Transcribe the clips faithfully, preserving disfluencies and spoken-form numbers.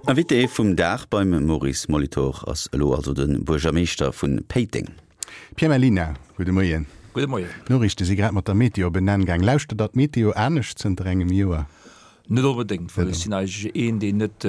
Invité vum Dag beim Maurice Molitor ass elo also de Buergermeeschter vu Péiteng. Pierre Mellina, gudde Moien. Gudde Moien. D'Noriichte si grad mat der Meteo op en Enn gaang. Lauschtert Der d'Meteo anescht zënter engem Joer? Net onbedéngt, well ech sinn eigentlech een, deen net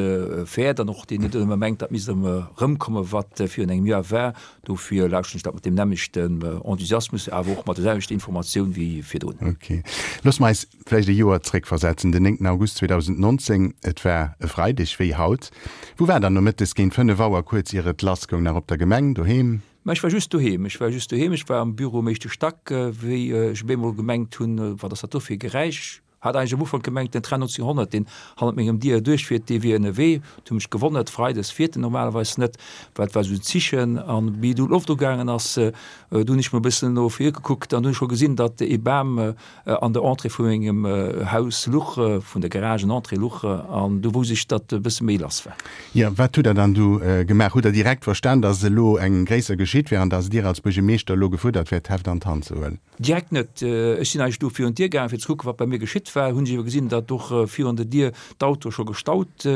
fäert an och deen net ëmmer mengt, dat misst erëmkommen, wat virun engem Joer war. Dofir lauschteren ech dat mat deem nämmlechten Enthusiasmus, awer och mat der selwechter Informatioun wéi virdrun. Ok. Loosse mer eis vläicht e Joer zréckversetzen, den néngten August zweedausendnonzéng. Et war e Freideg, wéi haut. Wou war Der nomëttes géint fënnef Auer, kuerz ier et lassgoung? Nach op der Gemeng, doheem? Mä ech war just doheem. Ech war just doheem. Ech war am Büro um éischte Stack, wéi ech op eemol gemengt hunn, Wat ass dat do fir e Geräisch? Hat eigentlech am Ufank gemengt, den Train neunzehnhundert, deen hannert mengem Dier duerchfiert, dee wier ënnerwee. Et hu mech gewonnert, freides fiert en normalerweis net, well et war esou en Zichen. An wéi du d'Loft ugaangen ass, du hunn ech mol e bëssen no vir gekuckt an du hunn ech scho gesinn, datt ee Bam an der Entrée vu mengem Haus luch, vun der Garagen-Entrée luch. An du wousst ech, datt e bësse méi lass war. Jo, wat hutt Der dann du gemaach? Hutt Der direkt verstan, datt elo eng gréisser geschitt wär an datt Dir als Buergermeeschter elo gefuerdert wäert, d'Heft an d'Hand ze huelen? Direkt net. Ech sinn eigentlech do virun d'Dier gaangen, fir ze kucken, wat bei mir geschitt war. Hunn ech ewer gesinn, datt och virun der Dier d'Autoe scho gestaut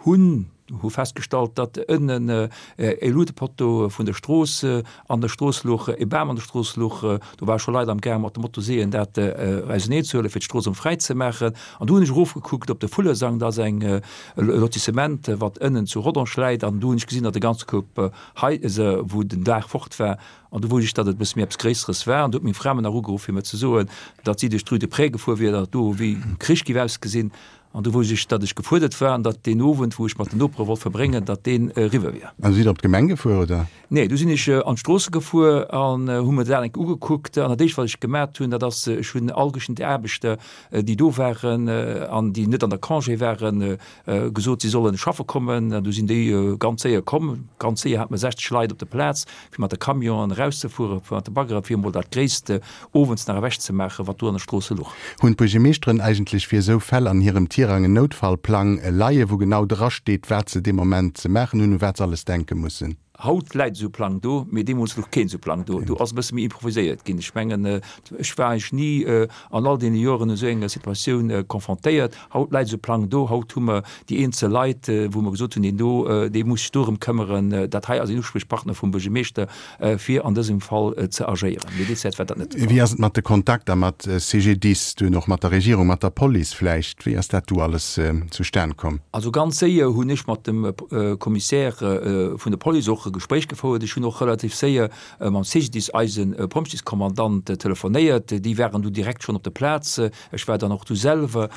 hunn. Hu festgestallt, datt ënnen e Luutepoteau vun der Strooss an der Strooss luch, e Bam an der Strooss luch. Do ware scho Leit am gaang mat de Motoseeën dat auseneenzehuelen, fir d'Strooss erëm fräi ze maachen. An du hunn ech erofgekuckt op de Vullesang, dat ass eng e Lotissement, wat ënnen zu Rodange läit. An du hunn ech gesinn, datt e ganze Koup Haiser, wou den Daach fort war, An du wousst ech, datt et e bësse méi eppes Gréisseres war. An du huet meng Fra mer nach ugeruff, fir mer ze soen, datt si duerch d'Rue de Près gefuer wier, datt et do wéi Krich géif ausgesinn. An du wousst ech, datt ech gefuerdert war an datt deen Owend, wou ech mat den Nopere wollt verbréngen, datt deen eriwwer wier. An du sidd op d'Gemeng gefuer, oder? Nee, du sinn ech an d'Stroosse gefuer an hu mer dat eng Kéier ugekuckt. An dat éischt, wat ech gemat hunn, dat ass, ech hunn all geschnitten Aarbechter, déi do waren an déi net an der Congé waren, gesot, si sollen schaffe kommen. An du sinn déi ganz séier komm. Ganz séier hate mer sechzeg Leit op der Plaz, fir mat de Camionen erauszefueren, fir mat de Baggere fir emol dat Gréisst owends nach ewechzemaachen, wat do an der Strooss luch. Hunn d'Buergermeeschteren eigentlech fir esou Fäll an hirem Tirang en Noutfallplang leien, wou genau drasteet, wat se dee Moment ze maachen hunn, u wat se alles denke mussen? Haut läit esou e Plang do, mee deemools louch keen esou Plang do. Do ass e bësse méi improviséiert ginn. Ech mengen, ech war eigentlech ni an all deene Joren esou enger Situatioun confrontéiert. Haut läit esou e Plang do. Haut hu mer déi eenzel Leit, wou mer gesot hunn, deen do, dee muss sech dorëm këmmeren. Dat hei ass een Uspriechpartner vum Buergermeeschter, fir an dësem Fall ze agéieren. Mee déi Zäit war dat net de Fall. Wéi ass et mat de Kontakter mat C G D I S, dunn och mat der Regierung, mat der Police vläicht? Wéi ass dat du alles zustan komm? Also ganz séier hunn ech mat dem Commissaire vun der Police och e Gespréich gefouert. Ech hunn och relativ séier mam C G D I S, eise Pompjeeskommandant, telefonéiert. Déi waren du direkt schonn op der Plaz. Ech war dann och du selwer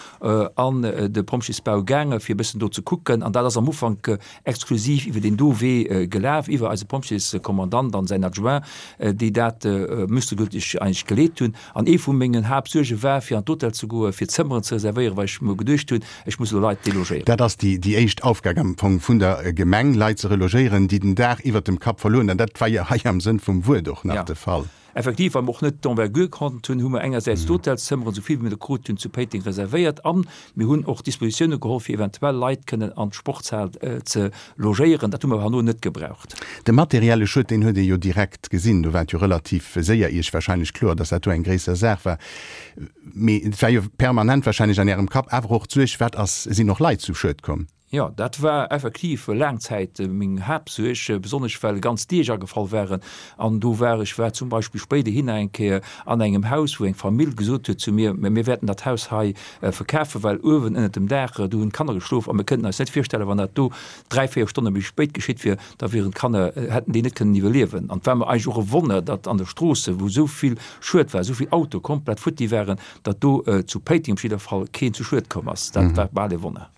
an de Pompjeesbau gaange fir e bëssen do ze kucken. An dat ass am Ufank exklusiv iwwer deen do Wee gelaf, iwwer eise Pompjeeskommandant an säin Adjoint, déi dat mustergültig eigentlech geleet hunn. An ee vu mengen Haaptsuerge war, fir an d'Hotel ze goen, fir Zëmmeren ze reservéieren, well ech mer geduecht hunn, ech muss elo Leit delogéieren. Dat ass déi déi éischt Aufgab am Fong vun der Gemeng, Leit ze relogéieren, déi den Daach iwwert dem Kapp verluer hunn. An dat war jo hei am Sënn vum Wuert och nach de Fall. Effektiv, well mer och net d'Envergure konnt hunn, hu mer engersäits d'Hotelszëmmeren, esou vill wéi mer der krut hunn, zu Péiteng reservéiert an mir hunn och Dispositioune geholl, fir eventuell Leit kënnen an d'Sportshal ze logéieren. Dat hu mer awer herno net gebraucht. De materielle Schued, deen huet ee jo direkt gesinn. Do war et jo relativ séier Iech wahrscheinlech kloer, dass dat do eng gréisser Saach war. Mee et war jo permanent wahrscheinlech an Ärem Kapp awer och d'Suerg, wat ass, sinn och Leit zu Schued komm? Jo, dat war effektiv laang Zäit meng Haaptsuerg, besonnesch well ganz Deeg agefall waren. An do war ech war zum Beispill spéiderhin eng Kéier an engem Haus, wou eng Famill gesot huet zu mir, Mä mir wäerten dat Haus hei verkafen, well uewen ënnert dem Daach, do hunn d'Kanner geschlof a mir kënnten eis net virstellen, wann dat do dräi, véier Stonne méi spéit geschitt wier, da wieren d'Kanner, hätten déi net kënnen iwwerliewen. An et war mer eigentlech och e Wonner, datt an de Stroosse, wou esou vill Schued war, esou vill Autoe komplett futti waren, datt do zu Péiteng op jidder Fall keen zu Schued komm ass. Dat war bal e Wonner.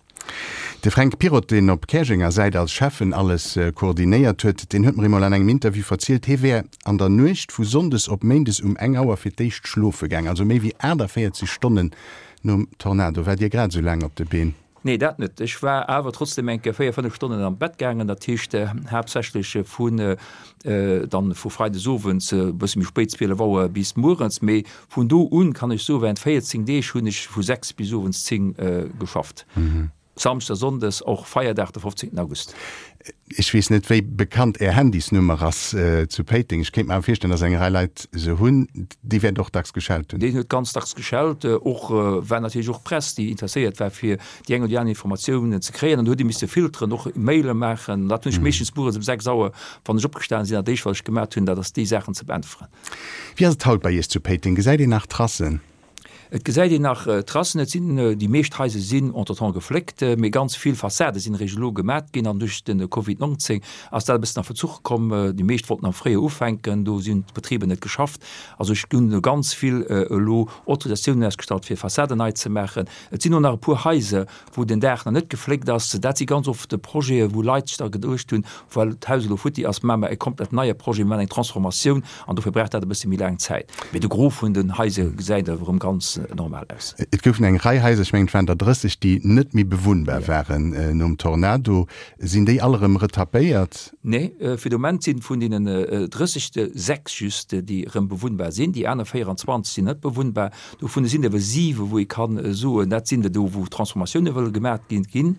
De Fränk Pirrotte, deen op Käerjenger Säit als Schäffen alles koordinéiert huet, deen huet mer eemol an engem Interview verzielt, hie wär an der Nuecht vu sonndes op méindes um eng Auer fir d'éischt schlofe gaang, also méi wéi aachtavéierzeg Stonnen nom Tornado. Waart Dir grad esou laang op de Been? Nee, dat net. Ech war awer trotzdem eng Kéier véier, fënnef Stonnen an d'Bett gaangen, dat heescht haaptsächlech vun dann vu freides owends e bësse méi spéit, zwielef Auer, bis muerens. Mee vun do un, kann ech soen, während véierzéng Deeg hunn ech vu sechs bis owends zéng geschafft. Samschdes a Sonndes, och Feierdag de fofzéngten August. Ech weess net, wéi bekannt Är Handysnummer ass zu Péiteng. Ech kéint mer awer virstellen, dass eng Rei Leit se hunn. Déi wäert och dacks geschellt hunn. Déi huet ganz dacks geschellt. Och war natierlech och Press, déi interesséiert war, fir déi eng oder déi aner Informatiounen ze kréien. An do huet ee misse filteren, och Maile maachen. Dat hunn ech meeschtens mueres um sechs Auer, wann ech opgestanen sinn, dat éischt, wat ech gemat hunn, dat ass déi Saachen ze beäntweren. Wéi ass et haut bei Iech zu Péiteng? Gesäit een nach Tracen? Et gesäit een nach Tracen. Et sinn, déi meescht Haiser sinn entretemps gefléckt, mee ganz vill Fassade sinn eréischt elo gemat ginn an duerch de Covid neunzehn ass dat e bëssen a Verzuch komm. Déi meescht wollten am Fréijoer ufänken, do sinn d'Betriber net geschafft. Also ech hunn elo ganz vill elo Autorisatiounen ausgestallt fir Fassaden nei ze maachen. Et sinn och nach e puer Haiser, wou den Daach nach net gefléckt ass. Dat si ganz oft Projete wou Leit sech da geduecht hunn, well d'Haus elo futti ass, maache mer e komplett neie Projet, mir maachen eng Transformatioun an dofir brauch dat e bësse méi laang Zäit. Mee de Gros vun den Haiser gesäit awer erëm ganz normal aus. Et goufen eng Rei Haiser, ech mengen et waren der drësseg, déi net méi bewunnbar waren nom Tornado. Sinn déi all erëm retapéiert? Nee, fir de Moment sinn vun deenen drësseg der sechs just, déi erëm bewunnbar sinn. Déi aner véierundzwanzeg sinn net bewunnbar. Dovun sinn der awer siwe wou ee kann soen, dat sinn der do wou Transformatioune wëlle gemaat ginn ginn.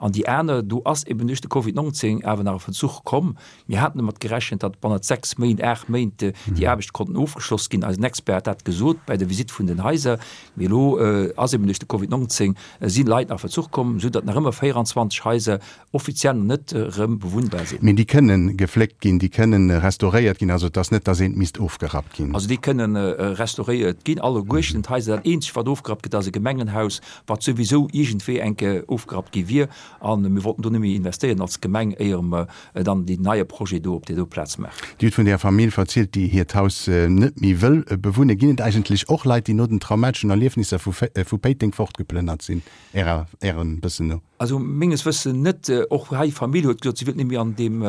An déi aner, do ass eben duerch de Covid neunzehn awer nach e Verzuch komm. Mir haten domat gerechent, datt bannent sechs Méint, aacht Méint déi Aarbechte konnten ofgeschloss ginn. Eisen Expert hat dat gesot bei der Visitt vun den Haiser. Mee elo ass eben duerch de Covid neunzehn si Leit a Verzuch komm, esou datt nach ëmmer véierundzwanzeg Haiser offiziell nach net erëm bewunnbar sinn. Mee déi kënnen gefléckt ginn, déi kënnen restauréiert ginn, also et ass net, datt eent misst ofgerappt ginn. Also déi kënnen restauréiert ginn, alleguerten d'Haiser. Dat eenzegt wat ofgerappt gëtt, ass e Gemengenhaus, wat souwisou iergendwéi eng Kéier ofgerappt gi wier. A mir wollten do net méi investéieren als Gemeng, éier mer dann deen neie Projet do op där do Plaz maachen. Dir hutt vun där Famill verzielt, déi hiert Haus net méi wëll bewunne. Ginn et eigentlech och Leit, déi no den traumateschen Erliefnisser vu Péiteng fortgeplënnert sinn, Ärer, Ärem Wëssen no? Also menges Wëssen net. Och hei Famill huet gesot, si wëllt net méi an deem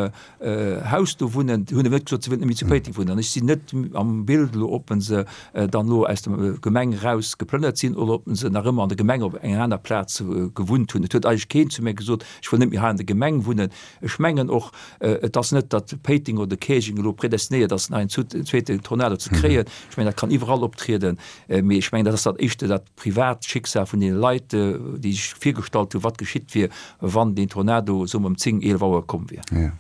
Haus do wunnen. Hunn awer net gesot, si wëllt net méi zu Péiteng wunnen. An ech sinn net am Bild elo, ob se dann elo aus der Gemeng eraus geplënnert sinn oder ob se nach ëmmer an der Gemeng op enger aner Plaz gewunnt hunn. Et huet eigentlech keen zu mir gesot, ech wëll net méi hei an der Gemeng wunnen. Ech mengen och, et ass net, datt Péiteng oder Käerjeng elo predestinéiert ass, nach een zweeten Tornado ze kréien. Ech mengen, dat kann iwwerall optrieden. Mee ech mengen, dat ass dat éischte dat privat Schicksal vun deene Leit, déi sech virgestallt hunn, wat geschitt wier, wann deen Tornado, soe mer, ëm zéng, eelef Auer komm wier. Jo.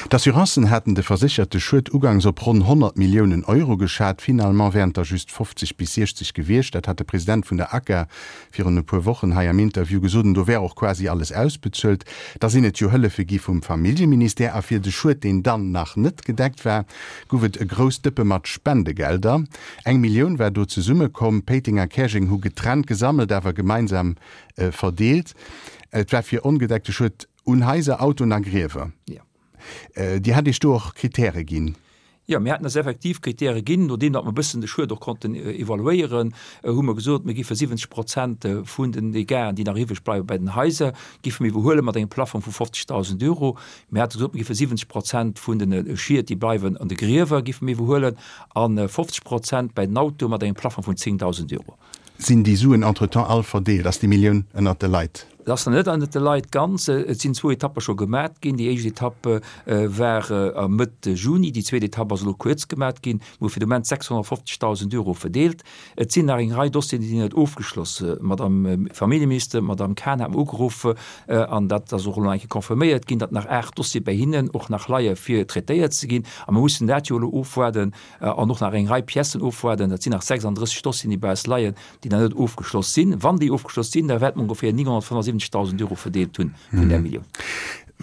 D'Assurancen haten de versécherte Schued ugangs op ronn honnert Milliounen Euro geschat. Finalement wären et der just fofzeg bis siechzeg gewiescht. Dat hat de President vun der ACA virun e puer Wochen hei am Interview gesot. An do wär och quasi alles ausbezuelt. Da sinn et jo Hëllefe gi vum Familljeministère. A fir de Schued, deen dann nach net gedeckt war, gouf et e grousst Dëppe mat Spendegelder. Eng Millioun war do zesummekomm. Péiteng a Käerjeng hu getrennt gesammelt, awer gemeinsam verdeelt. Et war fir ongedeckte Schued un Haiser, Autoen a Griewer. Dir hat Iech do och Kritäre ginn. Jo, mir haten eis effektiv Kritäre ginn. Nodeem datt mer e bëssen de Schued och konnten evaluéieren, hu mer gesot, mir géife siwwenzeg Prozent vun den Dégâten, déi nach iwwreg bleiwe bei den Haiser, géife mir iwwerhuele mat engem Plafong vu fofzegdausend Euro. Mir hate gesot, mir géife siwwenzeg Prozent vun de Schied, déi bleiwen an de Griewer, géife mir iwwerhuelen a fofzeg Prozent bei den Autoe mat engem Plafong vun zéngdausend Euro. Sinn déi Suen entretemps all verdeelt? Ass déi Millioun ënnert de Leit? Et ass nach net ënnert de Leit ganz. Et sinn zwou Etappe scho gemat ginn. Déi éischt Etapp war a Mëtt Juni, déi zweet Etapp ass elo kuerz gemat ginn. Mir hu fir de Moment sechshonnertfofzegdausend Euro verdeelt. Et sinn nach eng Rei Dossieren, déi sinn net ofgeschloss. D'Madame Familljeminister, d'Madame Cahen hat mer ugeruff, an dat ass och elo nach eng Kéier confirméiert ginn, datt nach aacht Dossiere bei hinnen och nach leie fir traitéiert ze ginn. A mir mussen dat jo elo ofwaarden an och nach eng Rei Piècen ofwaarden. Dat sinn nach sechsanddrësseg Dossieren, déi bei eis leien, déi nach net ofgeschloss sinn. Wann déi ofgeschloss sinn, da wäerte mer ongeféier nénghonnertfënnefundsiwwenzegdausend Euro verdeelt hunn vun där Millioun.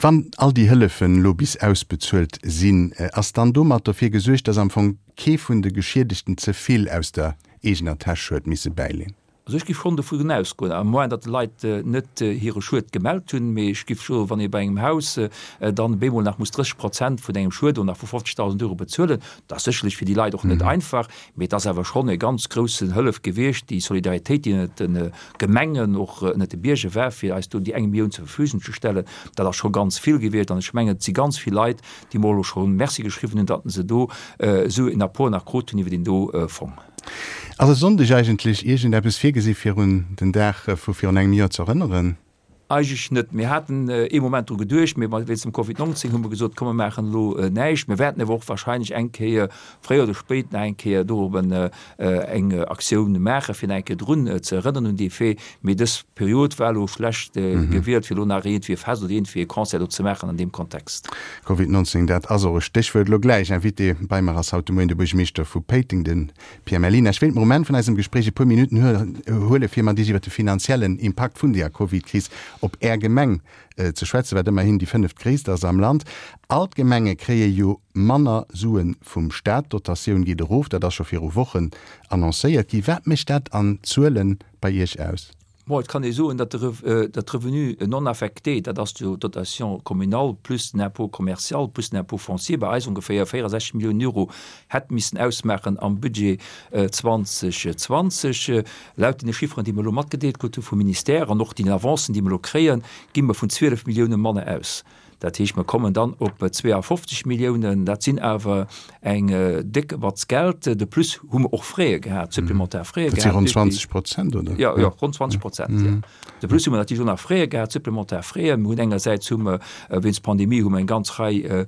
Wann all déi Hëllefen elo bis ausbezuelt sinn, ass dann domat derfir gesuergt, dass am Fong kee vun de Geschiedegten ze vill aus der eegener Täsch huet misse bäileen? Also ech giff schonn dovun ausgoen, à moins datt d'Leit net hire Schued gemellt hunn, mee ech giff scho, wann ee bei engem Haus dann bemol nach muss drësseg Prozent vun engem Schued oder nach vu fofzegdausend Euro bezuelen, dat ass sécherlech fir déi Leit och net einfach, mee et ass awer schonn e ganz groussen Hëllef gewiescht, déi Solidaritéit, déi ënnert de Gemengen, och ënnert de Bierger war, fir eis do déi eng Millioun zur Verfügung ze stellen, dat ass scho ganz vill gewiescht. An ech mengen, et si ganz vill Leit, déi mer elo scho Merci geschriwwen hunn, datt se do esou en Apport nach krut hunn iwwer deen do Fong. Ass e Sonndeg eigentlech iergendeppes virgesi fir un den Dag vu virun engem Joer z'erënneren? Eigentlech net. Mir haten ee Moment dru geduecht, mee wéinst dem Covid neunzehn hu mer gesot, komm mer maachen elo näischt. Mir wäerten awer och wahrscheinlech eng Kéier, fréier oder spéit, nach eng Kéier dorobben eng Aktioun maachen, fir nach eng Kéier drun ze erënneren un dee Fait. Mee dës Period war elo schlecht gewielt, fir elo nach iergendwéi e Fest oder iergendwéi e Concert do ze maachen an deem Kontext. Covid neunzehn, dat ass och e Stéchwuert elo gläich. Invité bei mer ass haut de Moien de Buergermeeschter vu Péiteng, de Pierre Mellina. Ech wéilt mer um Enn vun eisem Gespréich e puer Minutten huele fir mat Iech iwwer de finanziellen Impakt vun deeër Covid-Kris op Är Gemeng ze schwätzen, wat ëmmerhin déi fënneftgréisst ass am Land. All d'Gemenge kréie jo manner Sue vum Staat, d'Dotatioun geet erof, dat ass scho viru Wochen annoncéiert gi. Wat mécht dat an Zuele bei Iech aus? Bon, et kann ee soen, datt de Revenu non affecté, dat ass jo d'Dotation communale plus den Impôt commercial plus den Impôt foncier, bei eis ongeféier véierundsechzeg Milliounen Euro hätt missen ausmaachen am Budget zweitausendzwanzig. Laut deene Chifferen, déi mer elo matgedeelt krut hu vum Ministère an och deenen Avancen, déi mer elo kréien, gi mer vun zwielef Millioune manner aus. Dat heescht, mer kommen dann op zweeafofzeg Milliounen. Dat sinn awer eng déck Batz Geld. De plus hu mer och Fräe gehat, supplementar Fräe gehat. Dat si ronn zwanzeg Prozent, oder? Jo, jo, ronn zwanzeg Prozent, jo. De plus hu mer natierlech och nach Fräe gehat, supplementar Fräe. Mir hunn engersäits hu mer wéinst Pandemie hu mer eng ganz Rei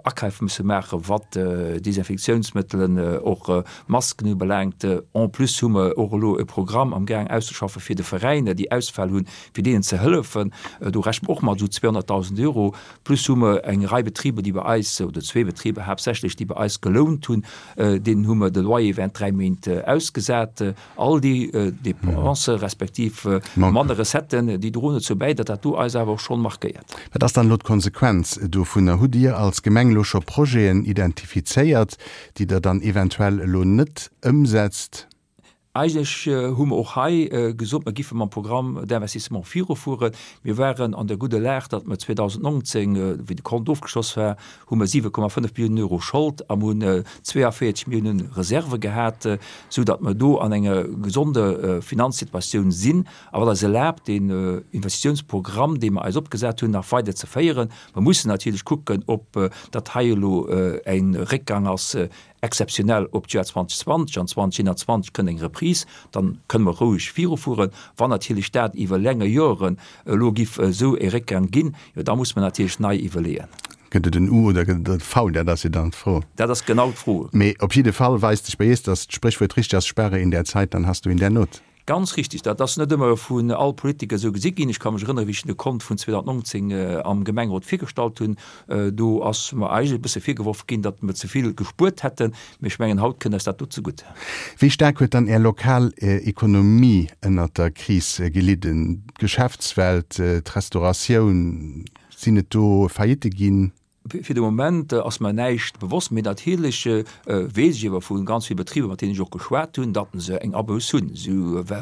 Akäif musse maachen, wat Desinfektiounsmëttelen, och Masken ubelaangt. En plus hu mer och elo e Programm amgaang auszeschaffen, fir de Veräiner, déi Ausfäll hunn, fir deenen ze hëllefen. Do rechne mer och mat esou zweehonnertdausend Euro. Plus hu mer eng Rei Betriber, déi bei eis, oder zwee Betriber haaptsächlech, déi bei eis gelount hunn, deenen hu mer de Loyer während dräi Méint ausgesat. All déi Dépensen, respektiv manner Recetten, déi droen dozou bäi, datt dat do eis awer och schonn markéiert. Wat ass dann elo d'Konsequenz dovunner? Hutt Dir als Gemeng elo scho Projeten identifizéiert, déi Der dann eventuell elo net ëmsetzt? Eigentlech hu mer och hei gesot, mer giffe mam Programme d'investissement virufueren. Mir waren an der gudder Lag, datt mer zweedausendnonzéng, wéi de Kont ofgeschloss war, hu mer siwe Komma fënnef Milliounen Euro Schold a mer hunn zweeavéierzeg Milliounen Reserve gehat, esou datt mer do an enger gesonde Finanzsituatioun sinn a wat eis erlaabt, deen Investitiounsprogramm, dee mer eis opgesat hunn, nach weider ze féieren. Mer mussen natierlech kucken, ob dat hei elo e Réckgang ass exzeptionell op d'Joer zweitausendzwanzig an zweitausendeenundzwanzig kënnt eng Reprise, dann kënne mer roueg virufueren. Wann natierlech dat iwwer länger Joren elo giff esou e Réckgang ginn, jo da muss mer natierlech nei iwwerleeën. Gëtt et en U oder gëtt et e V? Dat ass jo dann d'Fro. Dat ass genau d'Fro. Mee op jidde Fall weist sech bei Iech, datt d'Spréchwuert richteg ass, Spare in der Zeit, dann hast du in der Not. Ganz richtig. Dat ass net ëmmer vun all Politiker esou gesi ginn. Ech ka mech erënneren, wéi ech de Kont vun zweitausendnonzéng am Gemengerot virgestallt hunn, do ass mer eigentlech e bësse virgeworf ginn, datt mer ze vill gespuert hätten. Mee ech mengen, haut kënnt eis dat do zegutt. Wéi staark huet dann Är lokal Ekonomie ënnert der Kris gelidden? D'Geschäftswelt, d'Restauratioun, sinn et do Faillitte ginn? Fir de Moment ass mer näischt bewosst, mee natierlech weess ech ewer vu ganz vill Betriber, mat deenen ech och geschwat hunn, datt se eng Abouss hunn. Si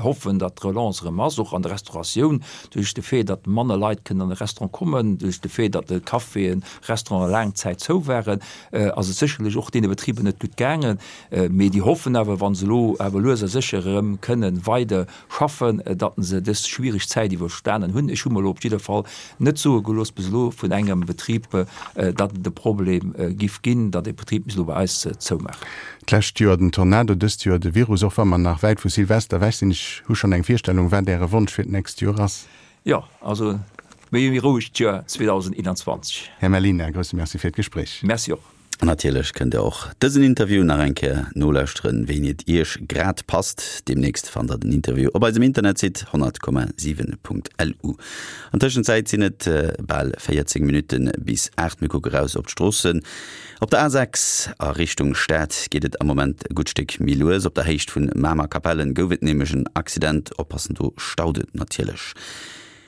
hoffen, datt d'Relance erëm ass, och an der Restauratioun, duerch de Fait, datt manner Leit kënnen an e Restaurant kommen, duerch de Fait, datt Caféen, Restauranten laang Zäit zou waren, ass et sécherlech och deene Betriber net gutt gaangen. Mee déi hoffen awer, wa se elo awer lues a sécher erëm kënnen weider schaffen, datt se dës schwiereg Zäit iwwerstanen hunn. Ech hu mer elo op jidder Fall net soe gelooss bis elo vun engem Betrib, datt et e Problem giff ginn, datt e Betrib misst elo bei eis zoumaachen. D'lescht Joer den Tornado, dëst Joer de Virus. Och wa mer nach wäit vu Silvester ewech sinn, ech hu schonn eng Virstellung, wat Äre Wonsch fir d'nächst Joer ass. Jo, also méi e rouegt Joer zweedausendeenanzwanzeg. Här Mellina, grousse Merci fir d'Gespréich. Merci och. An natierlech kënnt der och dësen Interview nach eng Kéier nolauschteren, wéini et iech grad passt. Deemnächst fannt der den Interview op eisem Internetsite honnert Komma siwen Punkt lu. An Tëschenzäit sinn et bal véierzéng Minutte bis aacht. Mir kucke raus op d'Stroossen. Op der A sechs a Richtung Stad geet et am Moment e gutt Stéck méi lues. Op der Héicht vun Mamer-Kapellen gouf et nämlech en Accident. Oppassen, do staut et natierlech.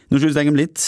No just engem Lidd.